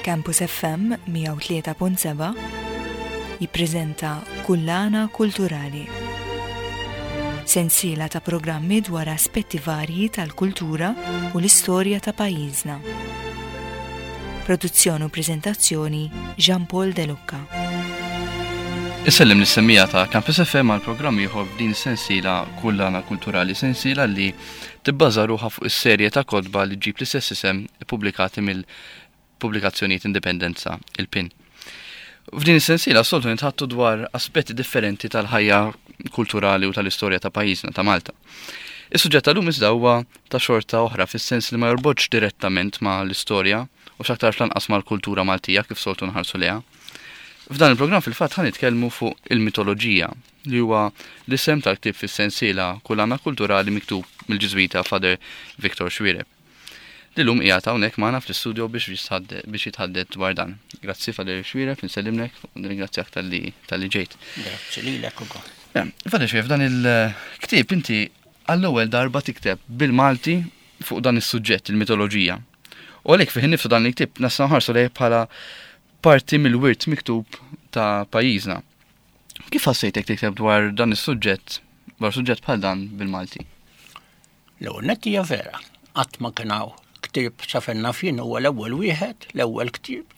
Campus FM 103.7 jippreżenta Kullana Kulturali. Sensiela ta' programmi dwar aspetti varji tal-kultura u l-istorja ta' pajjiżna. Produzzjoni u preżentazzjoni Jean Paul De Lucca. Isellem lis-semmija ta' Campus FM għal programm ieħor f'din sensiela Kullana Kulturali, sensiela li tibbaża ruħha fuq is-serje ta' kotba li ġġib l-istess isem ippubblikati mill-Pubblikazzjonijiet Indipendenza, il-PIN. F'din is-sensiela soltu nitħattu dwar aspetti differenti tal-ħajja kulturali u tal-istorja ta' pajjiżna ta' Malta. Is-suġġett tal-lum iżda huwa ta' xorta oħra fis-sens li ma jorbotx direttament ma' l-istorja u x'aktarx lanqas mal-kultura Maltija kif soltu nħarsu lejha. F'dan il-programm fil-fatt ħa nitkellmu fuq il-mitoloġija li huwa l-isem tal-ktieb fis-sensiela Kullana Kulturali miktub mill-Ġiżwita Father Victor Xuereb. Li llum qiegħed hawnhekk magħna fl-istudio biex biex jitħaddet dwar dan. Grazzi Father Xuereb, insellimlek u nirringrazzjak talli talli ġejt. Grazzi lilek ukoll. Father Xuereb, f'dan il-ktieb inti għall-ewwel darba tikteb bil-Malti fuq dan is-suġġett, il-mitoloġija. U għalhekk fih innifsu dan il-ktieb nistgħu nħarsu lejh bħala parti mill-wirt miktub ta' pajjiżna. Kif ħassejtek tikteb dwar dan is-suġġett, dwar suġġett bħal dan bil-Malti? L-ewwel nett hija vera, qatt ma kien hawn ktieb sa fejn naf jien huwa l-ewwel wieħed, l-ewwel ktieb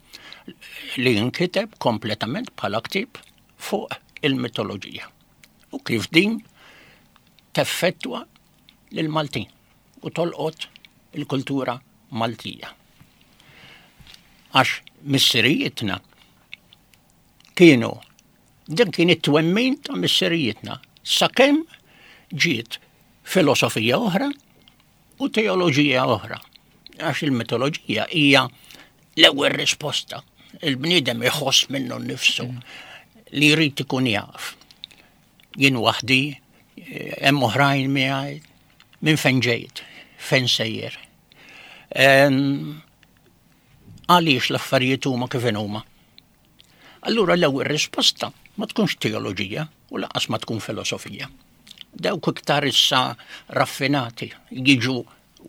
li nkiteb kompletament bħala ktieb fuq il-mitoloġija. U kif din teffettwa lill-Maltin u tolqot il-kultura Maltija. Għax missirijietna kienu din kien it-twemmin ta' missirijietna sakemm ġiet filosofija oħra u teoloġija oħra. Għax il-mitoloġija hija l-ewwel risposta. Il-bniedem iħoss minnu nnifsu mm. li jrid ikun jaf. Jien waħdi, eh, hemm oħrajn miegħi, minn fejn ġejt, fejn sejjer. Għaliex l-affarijiet huma kif huma. Allura l-ewwel risposta ma tkunx teoloġija u lanqas ma tkun filosofija. Dawk iktar issa raffinati jiġu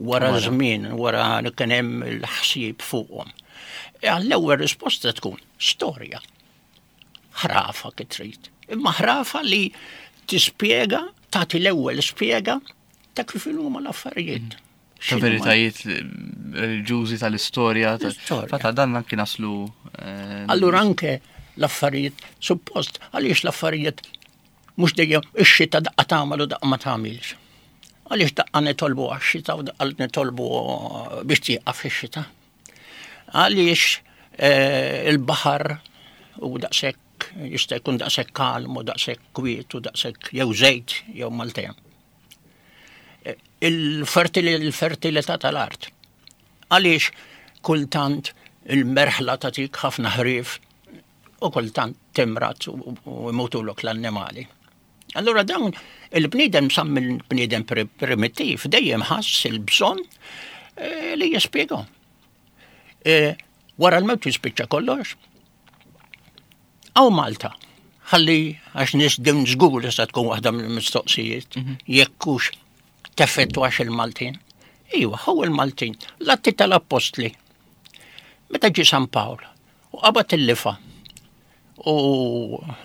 wara żmien, wara li kien hemm il-ħsieb fuqhom. E għall-ewwel risposta tkun storja. Ħrafa kif trid. Imma ħrafa li tispjega, tagħti l-ewwel spjega ta' kif huma l-affarijiet. Mm. Ta' veritajiet reliġjużi tal-istorja. Fatta dan anki naslu. Eh, Allura anke l-affarijiet, suppost, għaliex l-affarijiet mhux dejjem ix-xita daqqa tagħmel u daqqa ma tagħmilx. Għaliex daqqa nitolbu għax-xita u daqqa nitolbu biex tieqaf ix-xita. Għaliex eh, il-baħar u daqshekk jista' jkun daqshekk kalm u daqshekk kwiet u daqshekk jew żejt jew maltem. Il-fertilità tal-art. Għaliex kultant il-merħla tagħtik ħafna ħrief u kultant timrat u imutulok l-annimali. Allura dawn il-bniedem sam il-bniedem primittiv dejjem ħass il-bżonn eh, li jispjega. Eh, wara l-mewt jispiċċa kollox, Aw Malta, ħalli għax nies din żgur li se tkun waħda mill-mistoqsijiet, mhm. jekk hux teffettwax il-Maltin. Iwa, hu il-Maltin, l-atti tal-appostli. Meta ġie San Pawl u qabad il-lifa u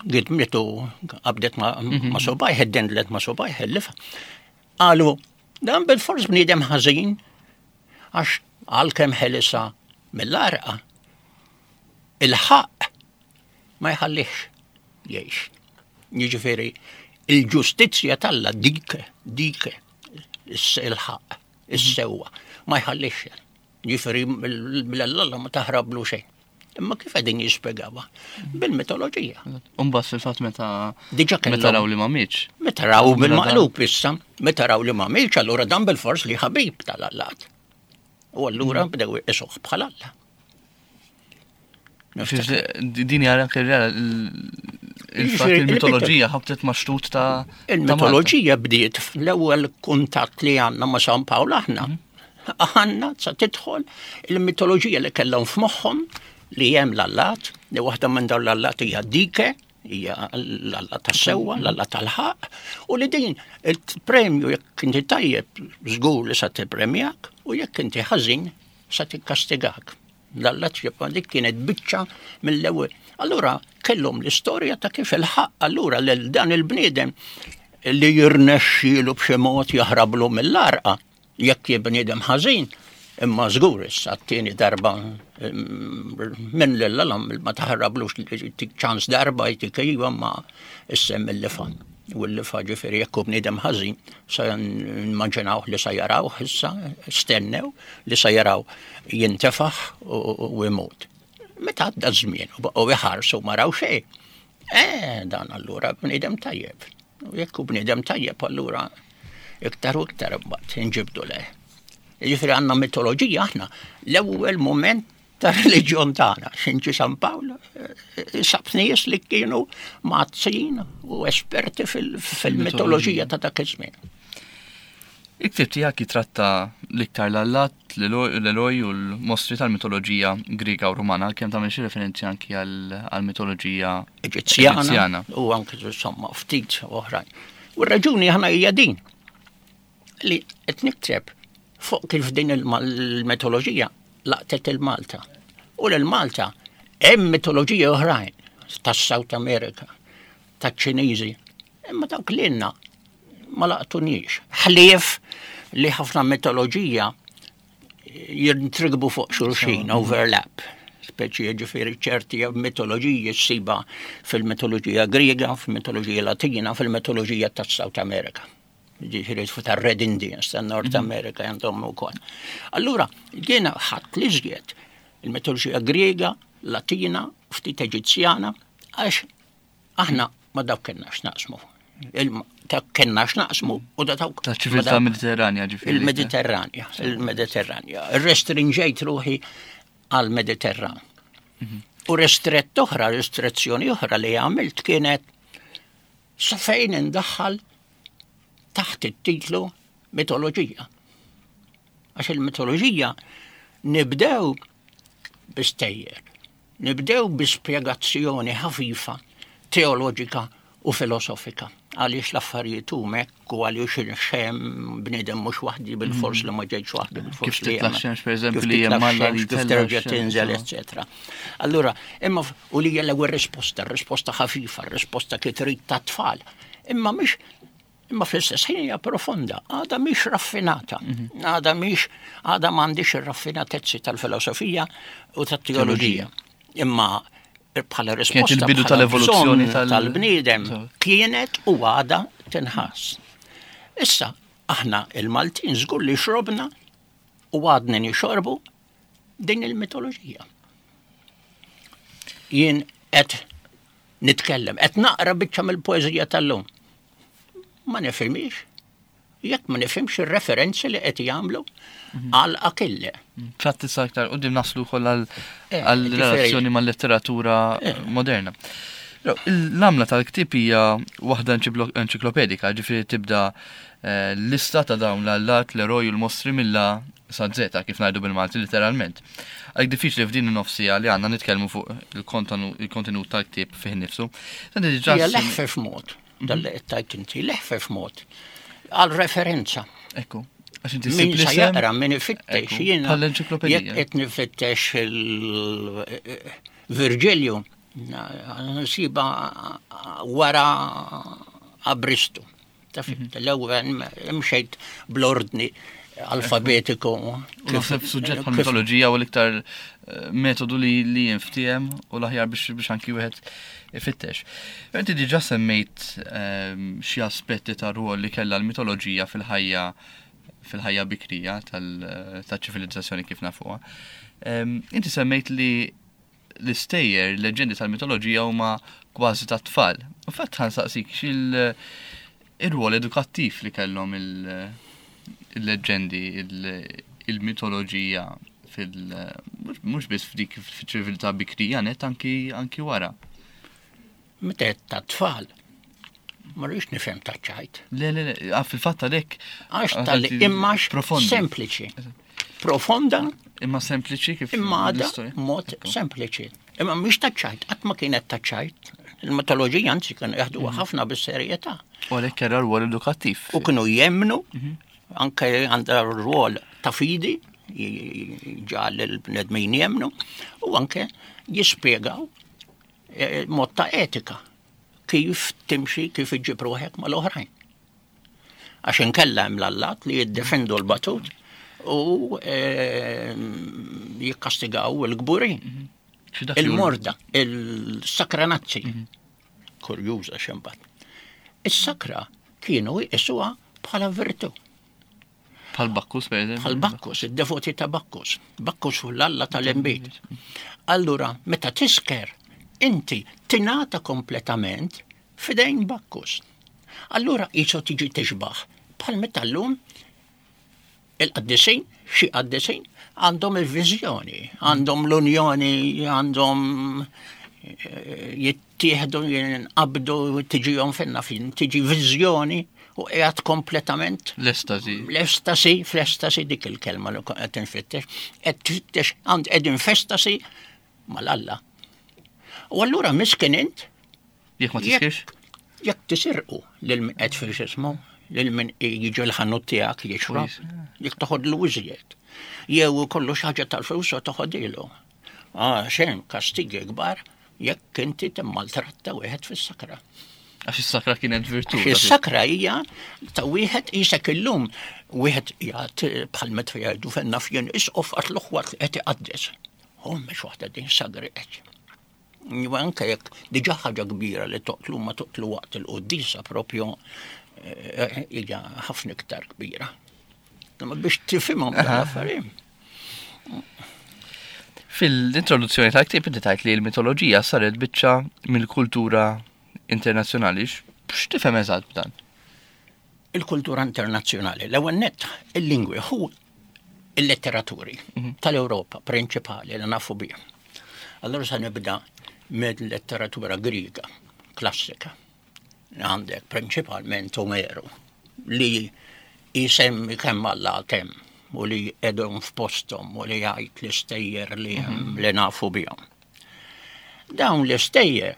gidmitu qabdet ma, mhm. ma subajh, id-dendlet ma subajh il-lifa. Qalu, dan bil-fors bniedem ħażin għax għalkemm ħelisa mill-arqa Il-ħaqq ma jħallihx jgħix. Jiġifieri il-ġustizzja t'Alla dik dik il-ħaqq, is-sewwa, ma jħallihx. Jiġifieri mill-Alla ma taħrablu xejn. Imma kif qegħdin jispjegawha? Bil-mitoloġija. Umbagħad fil-fatt meta Diġà meta raw li ma mietx. Meta raw bil-maqlub issa, meta raw li ma mietx, allura dan bil-fors li ħabib tal-allat. U allura bdew iqisuh bħal Alla. Din hija anke il-fatt il-mitoloġija ħabtet ma' xtut ta' Il-mitoloġija bdiet fl-ewwel kuntatt li għandna ma' San Pawl aħna. Mhm. Aħna sa tidħol il-mitoloġija li kellhom f'moħħhom li hemm l-allat, li waħda minn dawn l-allat hija dike, hija l-alla tas-sewwa, l-alla tal-ħaq, u li din il-premju jekk inti tajjeb żgur li sa tippremjak u jekk inti ħażin sa tikkastigak. L-allat dik kienet biċċa mill-ewwel. Allura kellhom l-istorja ta' kif il-ħaq allura lil dan il-bniedem li jirnexxielu b'xi mod jaħrablu mill-arqa jekk bniedem ħażin, imma żgur issa t-tieni darba minn lil ma taħrablux tik ċans darba jtik iva ma issem il-lifa. U l-lifa ġifieri jekk hu bniedem ħażin sa nimmaġinawh li sa jarawh issa stennew li sa jaraw jintefaħ u jmut. Meta għadda żmien u baqgħu iħarsu ma raw xejn. Eh, dan allura bniedem tajjeb. U jekk hu bniedem tajjeb allura iktar u iktar imbagħad inġibdu leh. Jiġifieri għandna mitoloġija aħna l-ewwel mument tar-reliġjon tagħna. Xinġi San Pawl eh, sab nies li kienu mazzin u esperti fil-mitoloġija ta' dak iż-żmien. Il-ktieb tiegħek jitratta l-iktar l-allat, l-eroj u l-mostri tal-mitoloġija Griega u Rumana, għalkemm tagħmel xi referenzi anki għall-mitoloġija Eġizzjana u anki insomma ftit oħrajn. U r-raġuni aħna hija din li qed nikteb fuq kif din il-mitoloġija laqtet il-Malta. U l-Malta hemm mitoloġija oħrajn tas-South America, taċ-Ċiniżi, imma dawk lilna ma laqtunix. Ħlief li ħafna mitoloġija jintrigbu fuq xulxin, overlap. Speċi ġifieri ċerti mitoloġiji ssiba fil-mitoloġija Griega, fil-mitoloġija Latina, fil-mitoloġija tas-South America. Ġifieri tar-Red Indians tan-North mhm. America għandhom ukoll. Allura, jiena ħadd li żjed il-mitoloġija Griega, Latina, ftit Eġizzjana, għax Aħna ma dawk kellna x'naqsmu. Ta' kellna x'naqsmu u da dawk. Ta' ċiviltà Mediterranja ġifieri. Il-Mediterranja, il-Mediterranja. Restringejt ruħi għal-Mediterran. Mhm. U restrett oħra, restrezzjoni oħra li għamilt kienet sa fejn indaħħal taħt it-titlu mitoloġija. Għax il-mitoloġija nibdew bistejjer. Nibdew bi spjegazzjoni ħafifa teoloġika u filosofika għaliex l-affarijiet huma hekk u għaliex xem bniedem mhux waħdi bil-fors li ma ġejtx waħdi bil-fors. Kif titla' xemx pereżempju li hemm Alla li kif terġa' tinżel, eċetera. Allura, imma u li hija l-ewwel risposta, risposta ħafifa, risposta kif trid tat-tfal. Imma mhix Imma fl-istess ħin hija profonda, għadha mhix raffinata, mhm. għadha mhix għadha m'għandix ir-raffinatezzi tal-filosofija u tat-teoloġija. Imma bħala risposta il-bidu tal-evoluzzjoni tal-bniedem kienet u għadha tinħass. Issa, aħna il-Maltin żgur li xrobna u għadna nixorbu din il-mitoloġija. Jien qed nitkellem, qed naqra biċċa mill-poeżija tal-lum. Ma nifhimix. Jekk ma nifhimx ir-referenzi li qed jagħmlu mhm. għal Akille. Fatt issa aktar qudiem naslu wkoll għal eh, relazzjoni mal-letteratura eh. moderna. L-għamla tal-ktieb hija waħda enċiklopedika, ġifieri tibda eh, lista ta' dawn l-allat, l-eroj u l-mostri mill-A sa Z, kif ngħidu bil-Malti literalment. Għalhekk diffiċli f'din in-nofsija li għandna nitkellmu fuq il-kontenut tal-ktieb fih innifsu. Hija leħfef mod, dan li qed tgħid inti, leħfef mod għal referenza. Ekku. Għax inti Min sa jaqra, min ifittex, jiena. Jekk qed nifittex il-Virġilju, nsiba wara Abristu. Taf mhm. l-ewwel imxejt bl-ordni alfabetiku. Naħseb suġġett bħal mitoloġija u l-iktar eh, metodu li li jinftiehem u l-aħjar biex biex anki wieħed ifittex. Inti diġà semmejt ehm, xi aspetti ta' rwol li kellha l-mitoloġija fil-ħajja fil-ħajja bikrija tal-ċivilizzazzjoni kif nafuha. Ehm, inti semmejt li l-istejjer, l-leġendi tal-mitoloġija huma kważi tat-tfal. U fatt ħansaqsik xil ir-rwol edukattiv li kellhom il-leġendi, il-mitoloġija fil mhux biss f'dik fiċ-ċiviltà bikrija net anki anki wara. Meta qed tat-tfal, ma rridx nifhem ta' ċajt. Le, le, le, ah, fil-fatt għalhekk. Għax tal imma sempliċi. Profonda. Imma sempliċi kif. Imma għadha mod sempliċi. Imma mhix ta' ċajt, qatt ma kienet ta' ċajt. Il-mitoloġija anzi kienu jaħduha mhm. ħafna bis-serjetà. U għalhekk kellha rwol edukattiv. U kienu jemnu, mhm. anke għandha rwol ta' fidi. jġagħal il-bnedmin jemmnu u anke jispjegaw eh, mod ta' etika kif timxi, kif iġġib ruħek mal-oħrajn. Għax inkella hemm l-allat li jiddefendu l-batut u eh, jikkastigaw il-kburin. Mhm. Il-morda, il-sakranazzi. Mhm. Kurjuża xembat. Is-sakra kienu jqisuha bħala virtu. Bħal Bakkus, per eżempju. Bħal Bakkus, id-devoti ta' Bakkus. Bakkus hu l-alla tal-imbit. Allura, meta tisker, inti tingħata kompletament fidejn Bakkus. Allura jisu tiġi tixbaħ. Bħal meta llum il-qaddisin, xi qaddisin, għandhom il-viżjoni, għandhom l-unjoni, għandhom eh, jittieħdu, jinqabdu, tiġihom finna fin, tiġi viżjoni u qiegħed kompletament. L-estasi. L-estasi, fl-estasi dik il-kelma li qed infittex, qed tfittex għand qegħdin f'estasi mal-Alla. U allura miskin int Jekk ma tiskirx? Jekk tisirqu lil min qed fil-xismu, lil min jiġi l-ħanut tiegħek jixrob, jekk toħodlu iżjed. Jew kollu xi ħaġa tal-flus u toħodilu. Ah, xejn kastigi kbar jekk inti timmaltratta wieħed fis-sakra. Għax is-sakra kienet virtu. Is-sakra hija ta' wieħed isek illum wieħed jgħid bħal meta jgħidu fenna fjen isqof għat l-uħwat qed iqaddes. Oh, mhux waħda din sagri qed. Anke jekk diġà ħaġa kbira li toqtlu ma toqtlu waqt il-quddisa propju eh, hija ħafna iktar kbira. Imma biex tifhimhom l-affarijiet. Fil-introduzzjoni tal-ktieb inti tajt li l-mitoloġija saret biċċa mill-kultura internazzjonali. X'tifhem eżatt b'dan? Il-kultura internazzjonali, l-ewwel nett il-lingwi hu il-letteraturi mhm. tal-Ewropa prinċipali li nafu bih. Allora sa nibda mill-letteratura Griega klassika. Għandek prinċipalment Omeru li jisemmi kemm Alla kemm u li edhom f'postom u li jgħid l-istejjer li mhm. li nafu bihom. Dawn l-istejjer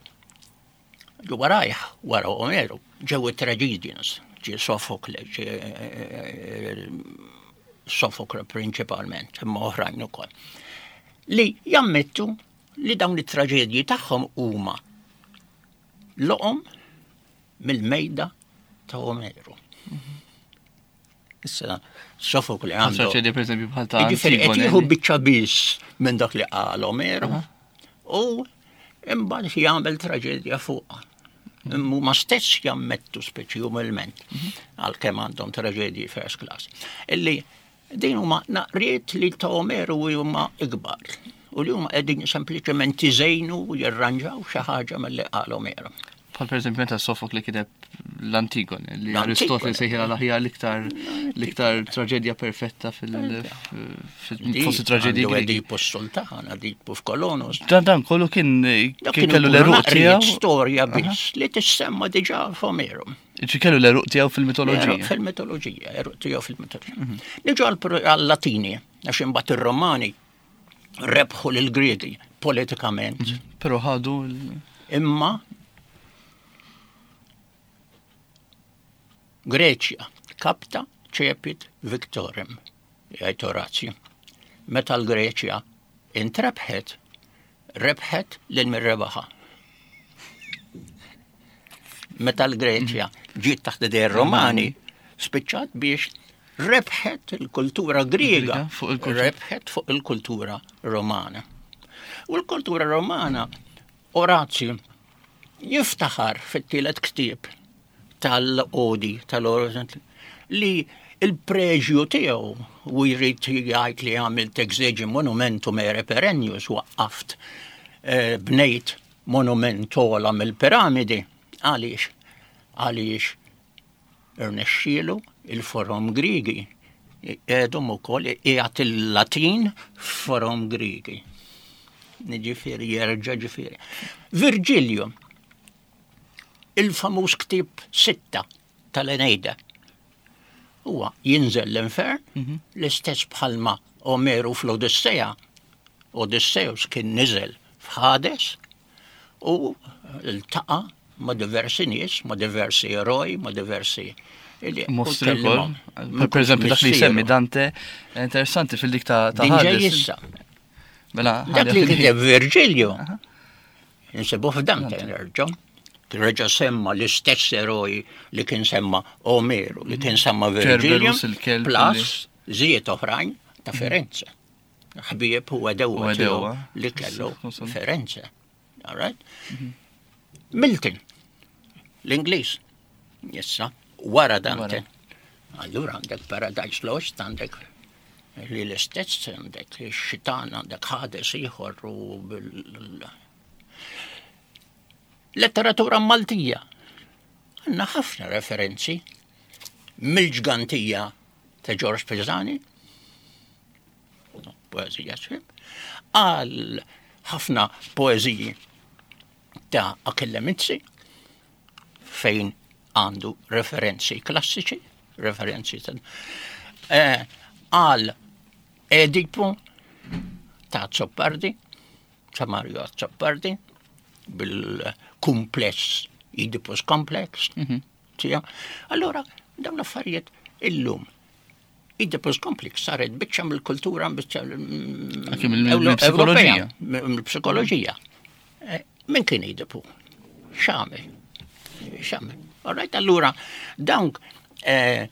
Ġu warajh, wara Omeru, ġew it-tragedians, ġie Sofokle, ġie eh, Sofokle prinċipalment, imma oħrajn ukoll. Li jammettu li dawn it-traġedji tagħhom huma loqom mill-mejda ta' Omeru. Issa, Sofokle għandu. Traġedja per eżempju bħal ta' Jiġifieri qed jieħu biċċa biss minn dak li qal Omeru u imbagħad jagħmel traġedja fuqha. Huma stess jammettu speċi umilment mhm. għalkemm għandhom traġedji first class. Illi din huma naqriet li ta' Omeru huma ikbar u li huma qegħdin sempliċement iżejnu u jirranġaw xi ħaġa milli qal Omeru. Bħal per eżempju meta Sofokle kiteb l-Antigone, li Aristotele sejħilha l-aħjar l-iktar l-iktar traġedja perfetta fil-fost traġedji. Edipu s-Sultan, Edipu f'Kolonus. Dan dan kollu kien kien kellu l-eruq tiegħu. Storja biss li tissemma diġà f'Omeru. Ġi kellu l-eruq tiegħu fil-mitoloġija. Fil-mitoloġija, eruq tiegħu fil-mitoloġija. Mhm. Niġu għal-Latini, għax imbagħad ir-Romani rebħu lill-Griegi politikament. Mhm. Però ħadu Imma Greċja kapta ċepit victorem, jgħid Orazju. Meta l-Greċja intrebħet, rebħet lil min rebaħha. Meta l-Greċja ġiet taħt idej Romani, spiċċat biex rebħet il-kultura Griega, rebħet fuq il-kultura Romana. U l-kultura Romana, Orazju jiftaħar fit-tielet ktieb tal-odi tal li il-preġju tiegħu u jrid jgħid li għamilt exegi monumentum ere perennius waqqaft eh, bnejt monument ogħla mill-piramidi. Għaliex? Għaliex irnexxielu il-forom Griegi għedhom ukoll qiegħed il-Latin f'forom Griegi. Ġifieri jerġa' ġifieri. Virgilio, il-famuż ktieb sitta tal-Eneida. Huwa jinżel l-infern, mhm. l-istess bħalma Omeru fl-Odissea, Odysseus kien niżel f'Hades u ltaqa' ma' diversi nies, ma' diversi eroj, ma' diversi. Mostri wkoll. Per eżempju, dak li jsemmi Dante, interessanti fil-dik ta' Hades. Mela, dak li kiteb Virgilio, insibu f'Dante nerġa'. Reġa' semma l-istess eroj li kien semma Omeru, li kien semma Virgilio, plus żied oħrajn ta' Firenze. Ħbieb u għedewa li kellu Firenze. All right? Mhm. Milton, l-Ingliż, issa, wara Dante. Allura għandek Paradise Lost, għandek li l-istess, għandek xitan, għandek Hades ieħor u Letteratura Maltija. Għandna ħafna referenzi mill-ġgantija ta' George Pisani, poezija sħib, għal ħafna poeziji ta' Achille Mizzi, fejn għandu referenzi klassiċi, referenzi ta' eh, għal Edipu ta' Zoppardi, ta' Mario Azzopardi, bil-kumpless, Oedipus Complex, mm -hmm. Allora, dawn l-affarijiet illum Oedipus Complex saret biċċa mill-kultura, biċċa mill-psikoloġija. Mill-psikoloġija. Eh, min kien Oedipu? X'għamel? X'għamel? All right, allura dawn eh,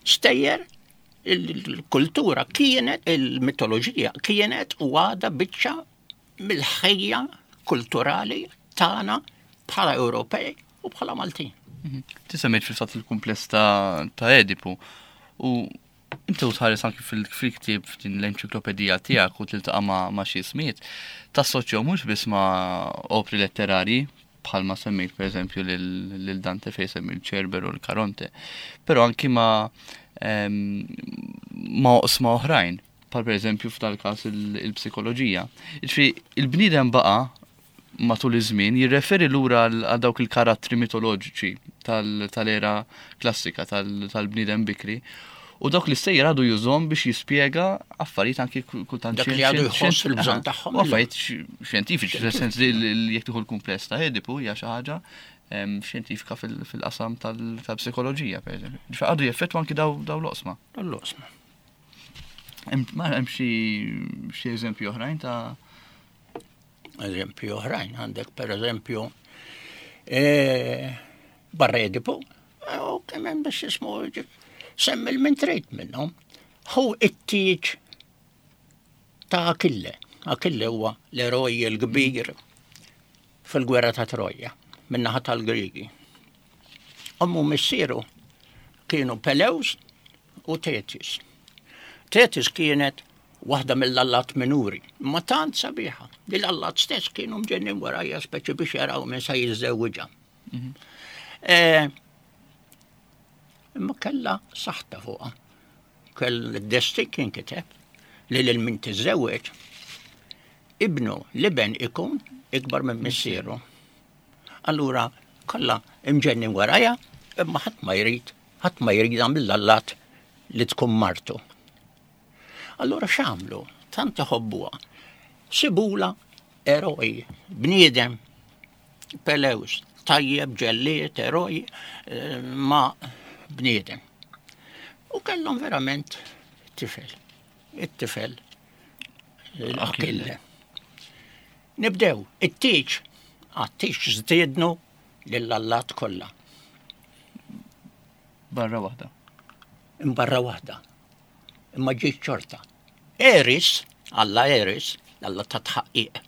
stejjer il-kultura kienet, il-mitoloġija kienet u għada biċċa mill-ħajja kulturali tagħna bħala Ewropej u bħala Maltin. Mhm. Tisemmejt fil-fatt il-kumpless ta' Edipu u inti u tħares anki fil-ktieb f'din l-enċiklopedija tiegħek u tiltaqa' ma' xi ismijiet, tassoċjaw mhux biss ma' opri letterarji bħalma semmejt pereżempju lil Dante fejn semmi l-Ċerber u l-Karonte, però anki ma' ehm, ma' oqsma oħrajn bħal pereżempju f'dal-każ il-psikoloġija. Jiġifieri il-bniedem baqa' matul iż-żmien jirreferi lura għal dawk il-karattri mitoloġiċi tal-era klassika tal-bniedem bikri u dawk l-istejjer għadu jużhom biex jispjega affarijiet anki kultant Dak li għadu jħoss il-bżonn tagħhom. Affarijiet xjentifiċi, fis-sens li jekk tieħu l-kumpless ta' Edipu hija xi ħaġa xjentifika fil-qasam tal-psikoloġija, pereżempju. Ġifieri għadu jeffettwa anki daw l-oqsma. L-oqsma. Ma hemm xi eżempju oħrajn ta' Eżempju oħrajn għandek per eżempju e, barra Edipu, e, u kemm hemm biex jismu semmi l-min trid minnhom. Hu it-tieġ ta' Akille. Akille huwa l-eroj l-kbir fil-gwerra ta' Troja, min-naħa tal-Grigi. Ommu missieru kienu Peleus u Tetis. Tetis kienet waħda mill-allat minuri, ma tant sabiħa, li l-allat stess kienu mġennin warajja speċi biex jaraw minn sa jiżżewwiġha. Mhm. Eh, imma kella saħta fuqha. Kell id-destin kien kiteb li lil min tiżżewweġ ibnu l-iben ikun ikbar minn missieru. Allura kollha imġennin warajja, imma ħadd ma jrid, ħadd ma jridha mill-allat li tkun martu. Allura x'għamlu? Tant iħobbuha. Sibula eroj, bniedem, Peleus, tajjeb, ġellied, eroj, eh, ma bniedem. U kellhom verament tifel. It-tifel l-Akille. Nibdew, it-tieġ, għat-tieġ żdiednu lill-allat kollha. Barra waħda. Imbarra waħda. Imma ġiet xorta. Eris, Alla Eris, Alla ta' tħaqqiq,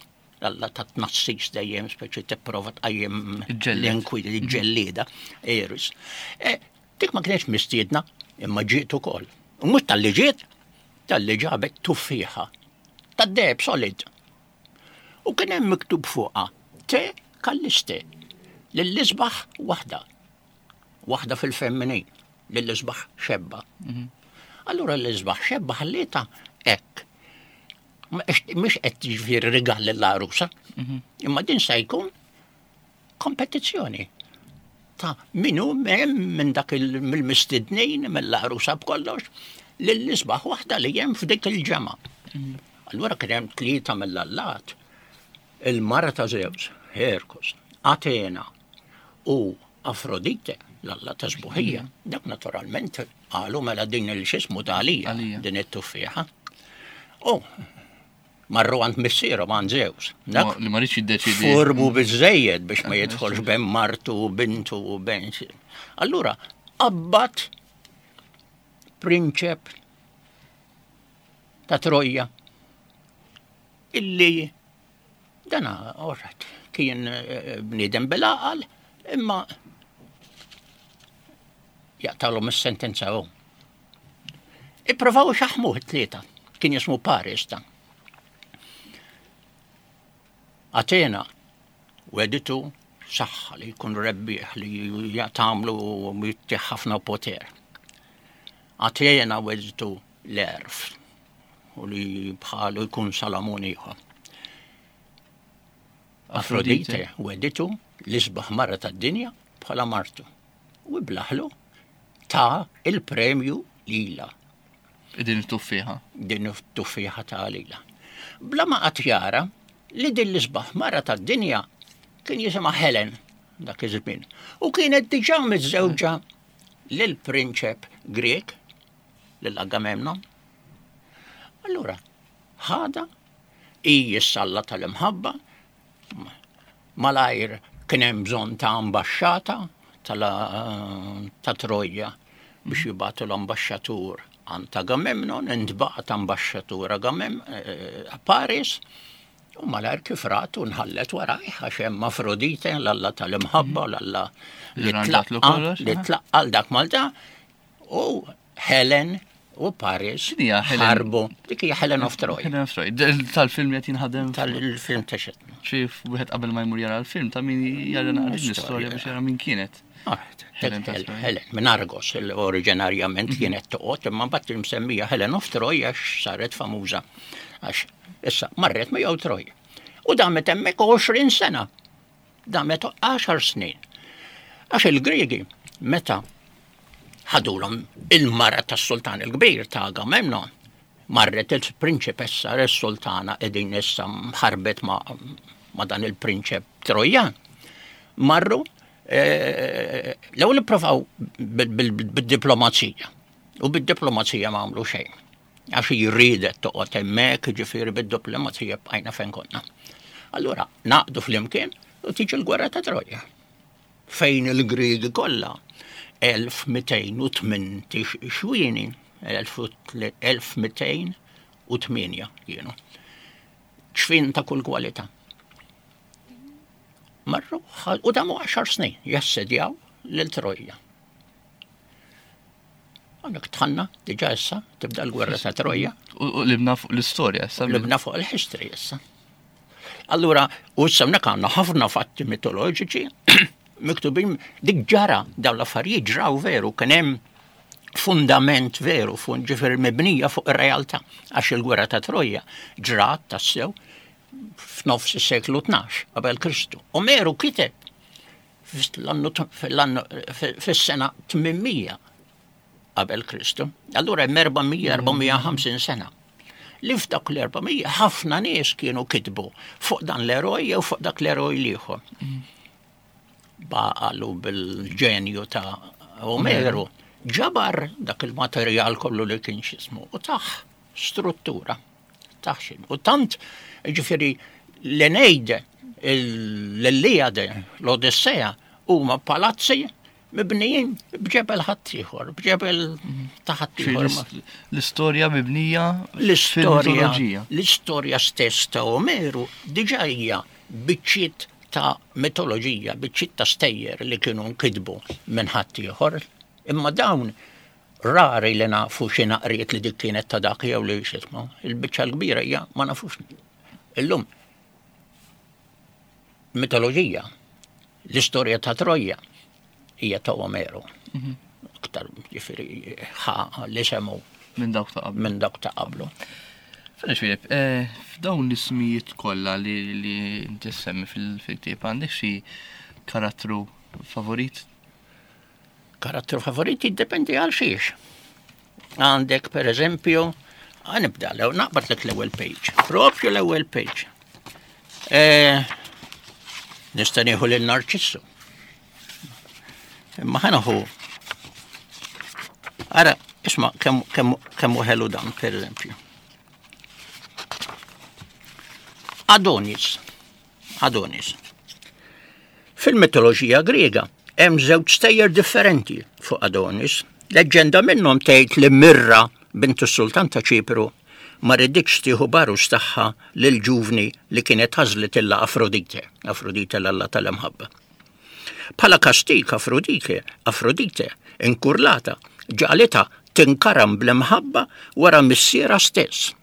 Alla ta' tnassis dejjem speċi tipprova tqajjem l-inkwit, il-ġellieda, Eris. E, dik ma kienx mistiedna, imma ġiet ukoll. U mhux tal-li ġiet, tal-li ġabet tuffieħa. Tad-deheb solid. U kien hemm miktub fuqha te kalliste lill-isbaħ waħda. Waħda fil-feminin, lill-isbaħ xebba. Mhm. Allura l-isbaħ xebba ħallieta hekk. Mhux qed jiġifieri rigal lill-għarusa, mhm. imma din se jkun kompetizzjoni ta' min hu minn dak mill-mistednin, mill-għarusa b'kollox, lill-isbaħ waħda li hemm f'dik il-ġemgħa. Mhm. Allura kien hemm tlieta mill-allat, il-mara ta' Zeus, Herkos, Atena u Afrodite. l-alla ta' sbuħija. Dak naturalment qalu mela din il-xismu ta' għalija, din it-tuffieħa. U marru għand missierhom għand Zeus. Li ma rridx jiddeċidi. Furbu biżejjed biex ma jidħolx ben martu u bintu u ben. Allura qabbat prinċep ta' Troja illi dana orret kien eh, bniedem bil-għaqal imma jaqtalhom is-sentenza hu. Ipprovaw xaħmuh it-tlieta, kien jismu Paris ta'. Atena weditu saħħa li jkun rebbieħ li jagħtamlu u jittieħ ħafna poter. Atena weditu l-erf u li bħalu jkun Salamun ieħor. Afrodite weditu l-isbaħ mara tad-dinja bħala martu. U iblaħlu ta' il-premju lila. Din it-tuffieħa. Din it-tuffieħa ta' lila. Bla ma qatt jara li din l-isbaħ mara tad-dinja kien jisimha Helen dak iż-żmien. U kienet diġà miżżewġa lil prinċep Grek, lil Agamemnon. Allura, ħada hi s-salla tal-imħabba, malajr kien hemm bżonn ta' ambaxxata ta' Trojja biex jibgħatu l-ambaxxatur għand Agamemnon, intbagħat ambaxxatur Agamem eh, Paris, u malajr kif ratu nħallet warajh għax hemm Afrodite, l-alla tal-imħabba, l-alla li tlaqqa dak Malta, u Helen u Paris ħarbu. Dik hija Helen of Troy. Helen of Troy. Tal-film qed jinħadem. Tal-film ta' xed. Xi wieħed qabel ma jmur jara l-film ta' min jara naqra l-istorja biex jara min kienet. Ah, Helen, Helen minn Argos oriġinarjament mhm. kienet toqgħod imma mbagħad imsemmija Helen of Troy għax saret famuża għax issa marret miegħu Troy. U damet hemmhekk 20 sena. Damet għaxar snin. Għax il-Griegi meta ħadulhom il-mara tas-sultan il-kbir ta' Agamemnon, marret il-prinċipessa s-sultana qegħdin issa ħarbet ma, ma dan il-prinċep Trojan. Marru eh, l-ewwel ipprovaw bid-diplomazija. U bid-diplomazija ma għamlu xejn. Għax hi riedet toqgħod hemmhekk, jiġifieri bid-diplomazija bqajna fejn konna. Allura naqdu flimkien u tiġi l-gwerra ta' Troja. Fejn il-Griegi kollha 1208 xwieni, 1208 kienu. Ċfin ta' kull kwalità. Marru u damu 10 snin jassedjaw lil Troja. Għandek tħanna, diġa issa, tibda l-gwerra ta' Troja. U libna fuq l-istorja issa. Libna fuq il-history issa. Allura, u issa hawnhekk għandna ħafna fatti mitoloġiċi miktubin dik ġara dawn l-affarijiet ġraw veru kien hemm fundament veru, fund ġifier mibnija fuq ir-realtà għax il-gwerra ta' Troja ġrat tassew f'nofs is-seklu 12 qabel Kristu. Omeru kiteb fis-sena 800 qabel Kristu. Allura hemm 400-450 sena. Li f'dak l-400 ħafna nies kienu kitbu fuq dan l-eroj jew fuq dak l-eroj l-ieħor. Baqalu bil-ġenju ta' Omeru ġabar dak il-materjal kollu li kien xismu u taħ struttura. Taħxin. U tant, ġifiri, l-Eneide, l-Iliade, l-Odissea, huma palazzi mibnijin b'ġebel ħaddieħor, b'ġebel ta' ħaddieħor. L-istorja mibnija l-istorja l-istorja stess ta' Omeru diġà hija biċċiet ta' mitoloġija, biċċiet ta' stejjer li kienu nkitbu minn ħaddieħor. Imma dawn Rari li nafu xi naqriet li dik kienet ta' dak jew li x'ismu. Il-biċċa l-kbira hija ma nafux. Illum mitoloġija, l-istorja ta' Troja hija ta' Omeru. Mhm. Aktar ġifieri ħa li semu minn dawk ta' qablu. Minn dawk ta' qablu. Fela Filip, eh, f'dawn l-ismijiet kollha li li inti semmi fil-ktieb għandek xi karattru favorit Karattru favorit jiddependi għal xiex. Għandek per eżempju, nibda l naqbad lek l-ewwel page, propju l-ewwel page. E, nista' nieħu lil Narċissu. Imma ħa nieħu. Ara, isma' kemm kemm kemm hu ħelu dan, per eżempju. Adonis. Adonis. Fil-mitoloġija Griega hemm żewġ stejjer differenti fuq Adonis. Leġġenda minnhom tgħid li Mirra, bint is-sultan ta' Ċipru, ma riditx tieħu b'għarus tagħha lil ġuvni li kienet għażlitilha Afrodite, Afrodite l-alla tal-imħabba. Bħala kastig Afrodite, Afrodite, inkurlata, ġagħlitha tinkaram bl-imħabba wara missierha stess,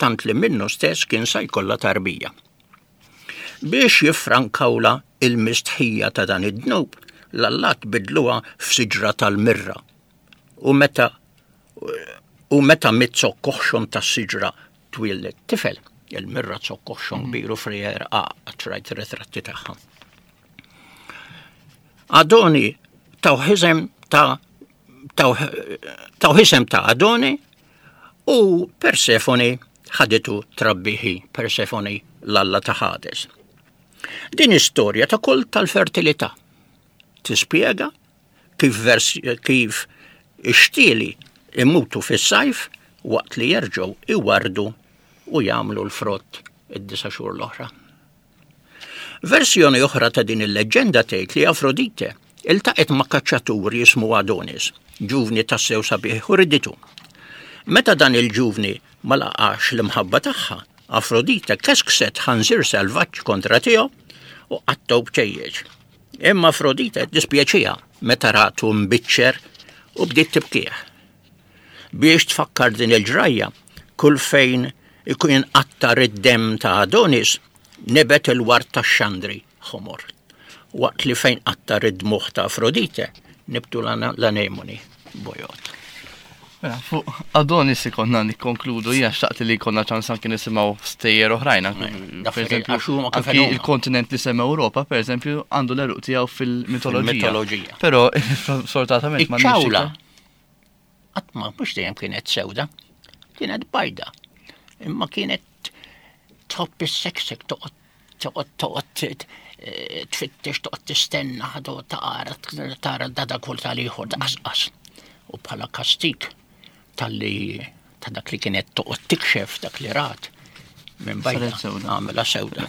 tant li minnu stess kien sa jkollha tarbija. Biex jiffrankawlha il-mistħija ta' dan id-dnub, l-allat bidluha f'siġra tal-mirra. U meta u meta mit-zokk oħxon tas-siġra twieldet tifel, il-mirra zokk oħxon kbir u frijer qatt rajt ritratti tagħha. Adoni taw ħisem ta' taw ħisem ta' Adoni u Persefoni ħaditu trabbiħi Persefoni l-alla ta' Hades. Din istorja ta' kult tal-fertilità tispjega kif vers kif ix-xtieli imutu fis-sajf waqt li jerġgħu iwardu u jagħmlu l-frott id-disa' xhur l-oħra. Versjoni oħra ta' din il-leġġenda tgħid li Afrodite iltaqgħet ma' kaċċatur jismu Adonis, ġuvni tassew sabiħ u riditu. Meta dan il-ġuvni ma laqax l-imħabba tagħha, Afrodite keskset ħanżir selvaġġ kontra tiegħu u qattgħu bċejjeċ. Imma Afrodite ddispjaċiha meta ratu mbiċċer u bdiet tibkih. Biex tfakkar din il-ġrajja, kull fejn ikun inqattar id-demm ta' Adonis, nibet il-ward tax-xandri ħomor. Waqt li fejn qattar id-dmugħ ta' Afrodite, nibtu l-anemoni bojod. Mela, fuq Adonis ikonna nikkonkludu, jiena xtaqt li jkollna ċans anki nisimgħu stejjer oħrajn. Per eżempju, anki il-kontinent li sem Ewropa, per eżempju, għandu l-eruq tiegħu fil-mitoloġija. Però, sfortunatament ma ċawla. Qatt ma mhux dejjem kienet sewda, kienet bajda. Imma kienet tħobb is-seksek toqgħod toqgħod toqgħod eh, tfittex toqgħod tistenna ħadu tara tara dada kull tal-ieħor tqasqas. U bħala kastik talli ta' dak li kienet toqgħod tikxef dak li rat minn bajda għamela sewda.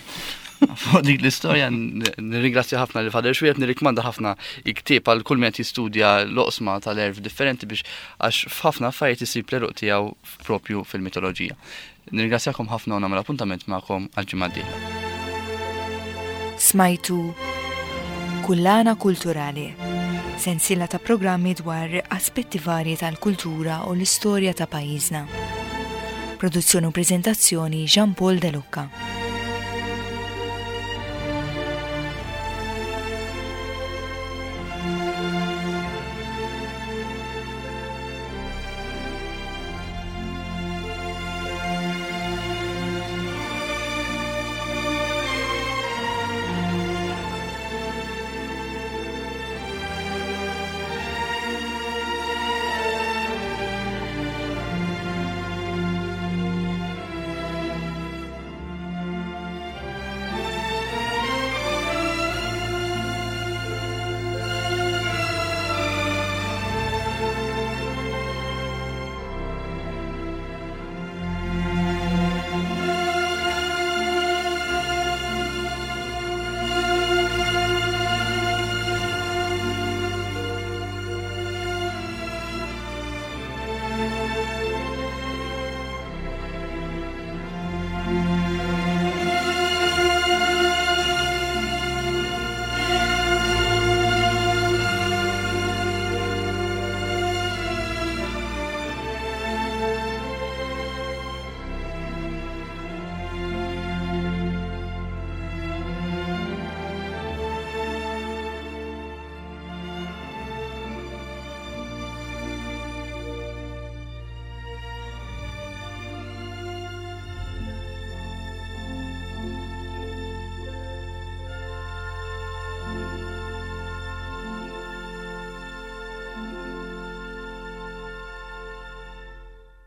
Fuq dik l-istorja nirringrazzja ħafna li Father Xwiet, nirrikmanda ħafna il-ktieb għal kull min qed jistudja l-oqsma tal-erf differenti biex għax f'ħafna affarijiet isib l-eruq tiegħu propju fil-mitoloġija. Nirringrazzjakom ħafna u nagħmel appuntament magħkom għal-ġimgħa d-dieħla. Smajtu Kullana Kulturali, sensiela ta' programmi dwar aspetti varji tal-kultura u l-istorja ta' pajjiżna. Produzzjoni u preżentazzjoni Jean Paul De Lucca.